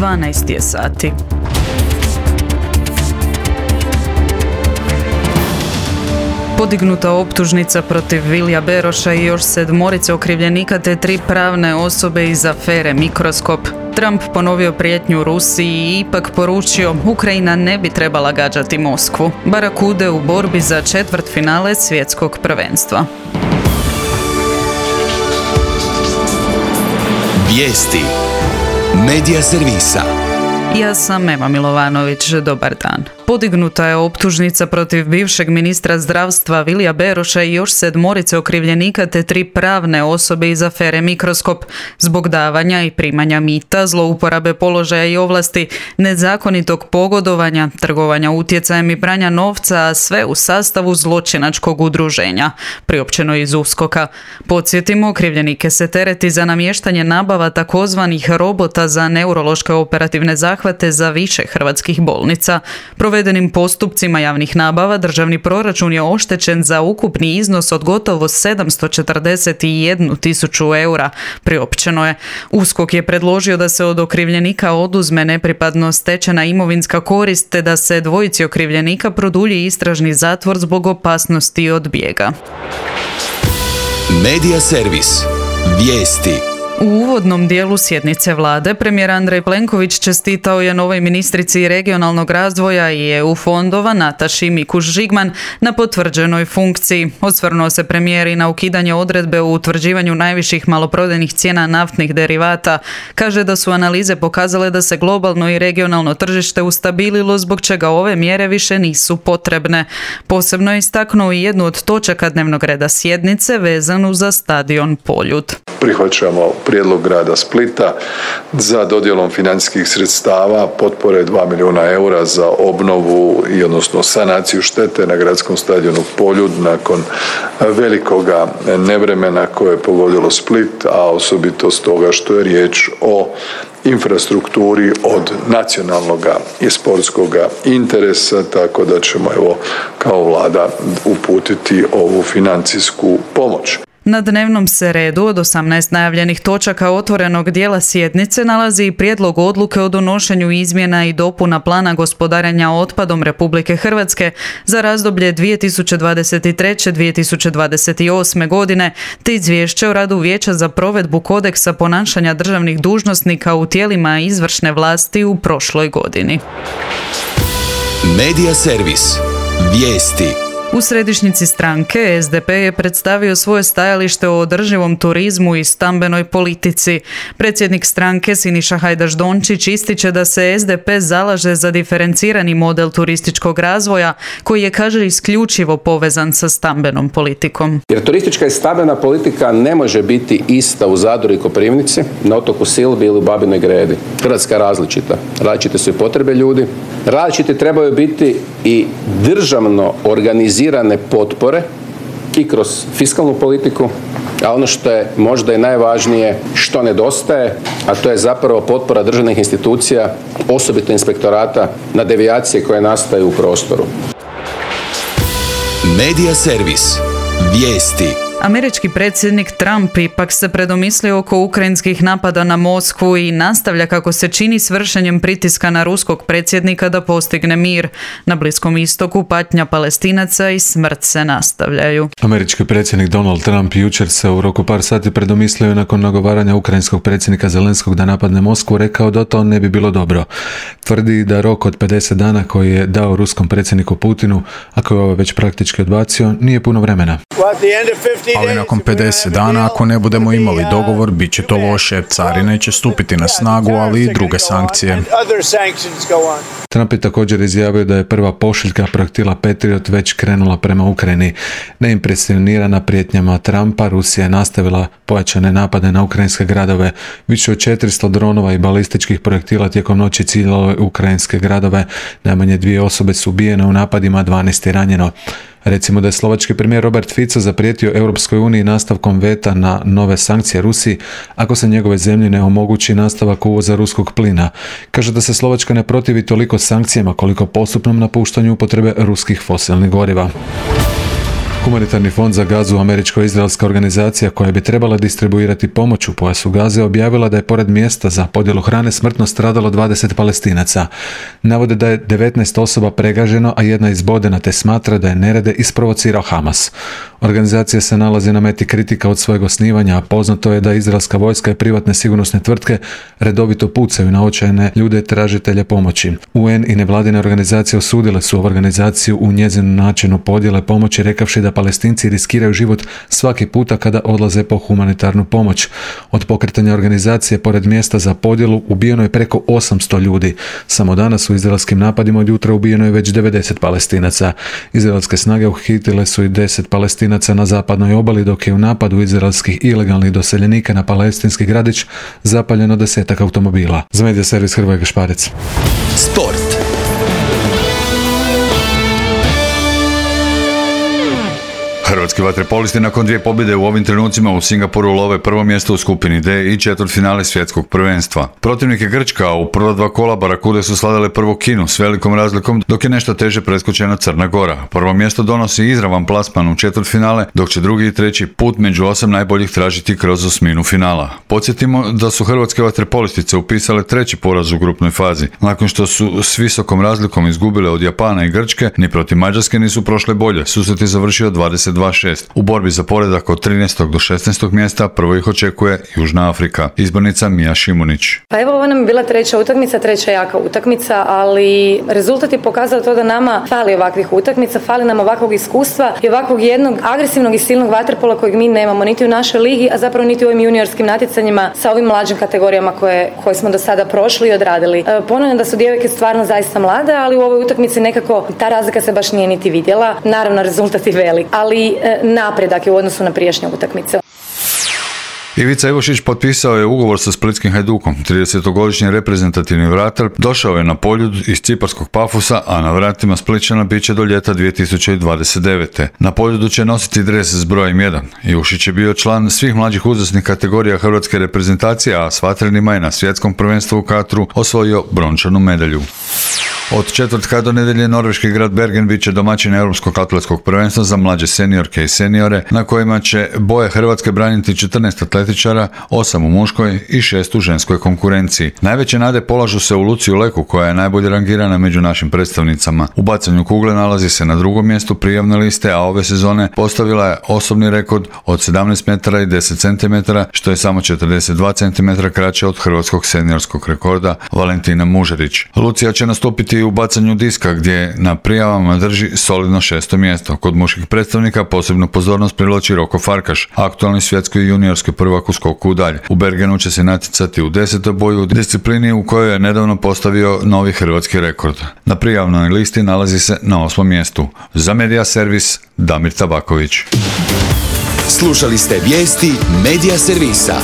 12 je sati. Podignuta optužnica protiv Vilija Beroša i još 7 okrivljenika te 3 pravne osobe iz afere Mikroskop. Trump ponovio prijetnju Rusiji i ipak poručio Ukrajina ne bi trebala gađati Moskvu. Barakude u borbi za četvrtfinale svjetskog prvenstva. Vijesti Medija servisa. Ja sam Ema Milovanović, dobar dan. Podignuta je optužnica protiv bivšeg ministra zdravstva Vilija Beroša i još 7 okrivljenika te 3 pravne osobe iz afere Mikroskop zbog davanja i primanja mita, zlouporabe položaja i ovlasti, nezakonitog pogodovanja, trgovanja utjecajem i pranja novca, a sve u sastavu zločinačkog udruženja, priopćeno iz USKOK-a. Podsjetimo, okrivljenike se tereti za namještanje nabava takozvanih robota za neurološke operativne zahvate za više hrvatskih bolnica. Provedenim postupcima javnih nabava državni proračun je oštećen za ukupni iznos od gotovo 741.000 eura, priopćeno je. USKOK je predložio da se od okrivljenika oduzme nepripadno stečena imovinska korist te da se 2 okrivljenika produlji istražni zatvor zbog opasnosti od bijega. Medija servis. Vijesti. U uvodnom dijelu sjednice vlade premijer Andrej Plenković čestitao je novoj ministrici regionalnog razvoja i EU fondova Nataši Mikuš-Žigman na potvrđenoj funkciji. Osvrnuo se premijer i na ukidanje odredbe u utvrđivanju najviših maloprodajnih cijena naftnih derivata. Kaže da su analize pokazale da se globalno i regionalno tržište ustabililo, zbog čega ove mjere više nisu potrebne. Posebno je istaknuo i jednu od točaka dnevnog reda sjednice vezanu za stadion Poljud. Prihvaćamo prijedlog grada Splita za dodjelom financijskih sredstava potpore 2 milijuna eura za obnovu i odnosno sanaciju štete na gradskom stadionu Poljud nakon velikoga nevremena koje je pogodilo Split, a osobito stoga što je riječ o infrastrukturi od nacionalnog i sportskog interesa, tako da ćemo kao vlada uputiti ovu financijsku pomoć. Na dnevnom se redu od 18 najavljenih točaka otvorenog dijela sjednice nalazi i prijedlog odluke o donošenju izmjena i dopuna plana gospodarenja otpadom Republike Hrvatske za razdoblje 2023-2028. godine, te izvješće o radu Vijeća za provedbu kodeksa ponašanja državnih dužnosnika u tijelima izvršne vlasti u prošloj godini. Medija servis. Vijesti. U središnjici stranke SDP je predstavio svoje stajalište o održivom turizmu i stambenoj politici. Predsjednik stranke Siniša Hajdaš-Dončić ističe da se SDP zalaže za diferencirani model turističkog razvoja koji je, kaže, isključivo povezan sa stambenom politikom. Jer turistička i stambena politika ne može biti ista u Zadru i Koprivnici, na otoku Silbi ili u Babinoj Gredi. Hrvatska je različita. Različite su i potrebe ljudi. Različite trebaju biti i državno organizirane potpore i kroz fiskalnu politiku, a ono što je možda i najvažnije što nedostaje, a to je zapravo potpora državnih institucija, osobito inspektorata, na devijacije koje nastaju u prostoru. Medija servis. Vijesti. Američki predsjednik Trump ipak se predomislio oko ukrajinskih napada na Moskvu i nastavlja, kako se čini, s vršenjem pritiska na ruskog predsjednika da postigne mir. Na Bliskom istoku patnja Palestinaca i smrt se nastavljaju. Američki predsjednik Donald Trump jučer se u roku par sati predomislio nakon nagovaranja ukrajinskog predsjednika Zelenskog da napadne Moskvu, rekao da to ne bi bilo dobro. Tvrdi da rok od 50 dana koji je dao ruskom predsjedniku Putinu, a koji je već praktički odbacio, nije puno vremena. Ali nakon 50 dana, ako ne budemo imali dogovor, bit će to loše. Carine će stupiti na snagu, ali i druge sankcije. Trump je također izjavio da je prva pošiljka projektila Patriot već krenula prema Ukrajini. Neimpresionirana prijetnjama Trumpa, Rusija je nastavila pojačane napade na ukrajinske gradove. Više od 400 dronova i balističkih projektila tijekom noći ciljalo ukrajinske gradove. Najmanje 2 osobe su ubijene u napadima, 12 je ranjeno. Recimo da je slovački premijer Robert Fico zaprijetio Europskoj uniji nastavkom veta na nove sankcije Rusiji ako se njegove zemlje ne omogući nastavak uvoza ruskog plina. Kaže da se Slovačka ne protivi toliko sankcijama koliko postupnom napuštanju upotrebe ruskih fosilnih goriva. Humanitarni fond za Gazu, američko-izraelska organizacija koja bi trebala distribuirati pomoć u pojasu Gaze, objavila da je pored mjesta za podjelu hrane smrtno stradalo 20 Palestinaca. Navode da je 19 osoba pregaženo, a jedna izbodena, te smatra da je nerede isprovocirao Hamas. Organizacija se nalazi na meti kritika od svojeg osnivanja, a poznato je da izraelska vojska i privatne sigurnosne tvrtke redovito pucaju na očajne ljude tražitelje pomoći. UN i nevladine organizacije osudile su ovu organizaciju u njezinu načinu podjele pomoći, rekavši da Palestinci riskiraju život svaki puta kada odlaze po humanitarnu pomoć. Od pokretanja organizacije pored mjesta za podjelu ubijeno je preko 800 ljudi. Samo danas u izraelskim napadima od jutra ubijeno je već 90 Palestinaca. Izraelske snage uhitile su i 10 Palestinaca na zapadnoj obali, dok je u napadu izraelskih ilegalnih doseljenika na palestinski gradić zapaljeno 10 automobila. Za Medija servis Hrvoje Gašparec. Sport. Hrvatski vaterpolisti nakon 2 pobjede u ovim trenucima u Singapuru love prvo mjesto u skupini D i četvrtfinale svjetskog prvenstva. Protivnik je Grčka, a u prva 2 kola Barakude su slavile prvo Kinu s velikom razlikom, dok je nešto teže preskočena Crna Gora. Prvo mjesto donosi izravan plasman u četvrtfinale, dok će drugi i treći put među 8 najboljih tražiti kroz osminu finala. Podsjetimo da su hrvatske vaterpolistice upisale 3. poraz u grupnoj fazi. Nakon što su s visokom razlikom izgubile od Japana i Grčke, ni protiv Mađarske nisu prošle bolje. Susret je završio 22-6. U borbi za poredak od 13. do 16. mjesta prvo ih očekuje Južna Afrika. Izbornica Mija Šimunić. Pa evo, ovo nam je bila 3. utakmica, 3. jaka utakmica, ali rezultat je pokazao to da nama fali ovakvih utakmica, fali nam ovakvog iskustva i ovakvog jednog agresivnog i silnog vaterpola kojeg mi nemamo niti u našoj ligi, a zapravo niti u ovim juniorskim natjecanjima sa ovim mlađim kategorijama koje smo do sada prošli i odradili. Ponavljam da su djevojke stvarno zaista mlade, ali u ovoj utakmici nekako ta razlika se baš nije niti vidjela. Naravno, rezultat je velik, ali napredak je u odnosu na prijašnje utakmice. Ivica Ivošić potpisao je ugovor sa splitskim Hajdukom. 30-godišnji reprezentativni vratar došao je na Poljud iz ciparskog Pafusa, a na vratima Splićana bit će do ljeta 2029. Na Poljudu će nositi dres s brojem 1. Ivošić je bio član svih mlađih uzrasnih kategorija hrvatske reprezentacije, a s vatrenima je na svjetskom prvenstvu u Katru osvojio brončanu medalju. Od četvrtka do nedjelje norveški grad Bergen bit će domaćin europskog atletskog prvenstva za mlađe seniorke i seniore, na kojima će boje Hrvatske braniti 14 atletičara, 8 u muškoj i 6 u ženskoj konkurenciji. Najveće nade polažu se u Luciju Leku, koja je najbolje rangirana među našim predstavnicama. U bacanju kugle nalazi se na 2. mjestu prijavne liste, a ove sezone postavila je osobni rekord od 17 metara i 10 cm, što je samo 42 cm kraće od hrvatskog seniorskog rekorda Valentina Mužerić. Lucija će nastupiti u bacanju diska, gdje na prijavama drži solidno 6. mjesto. Kod muških predstavnika posebnu pozornost privlači Roko Farkaš, aktualni svjetski i juniorski prvak u skoku u dalj. U Bergenu će se natjecati u 10. boju u disciplini u kojoj je nedavno postavio novi hrvatski rekord. Na prijavnoj listi nalazi se na 8. mjestu. Za Medija servis Damir Tabaković. Slušali ste vijesti Medija servisa.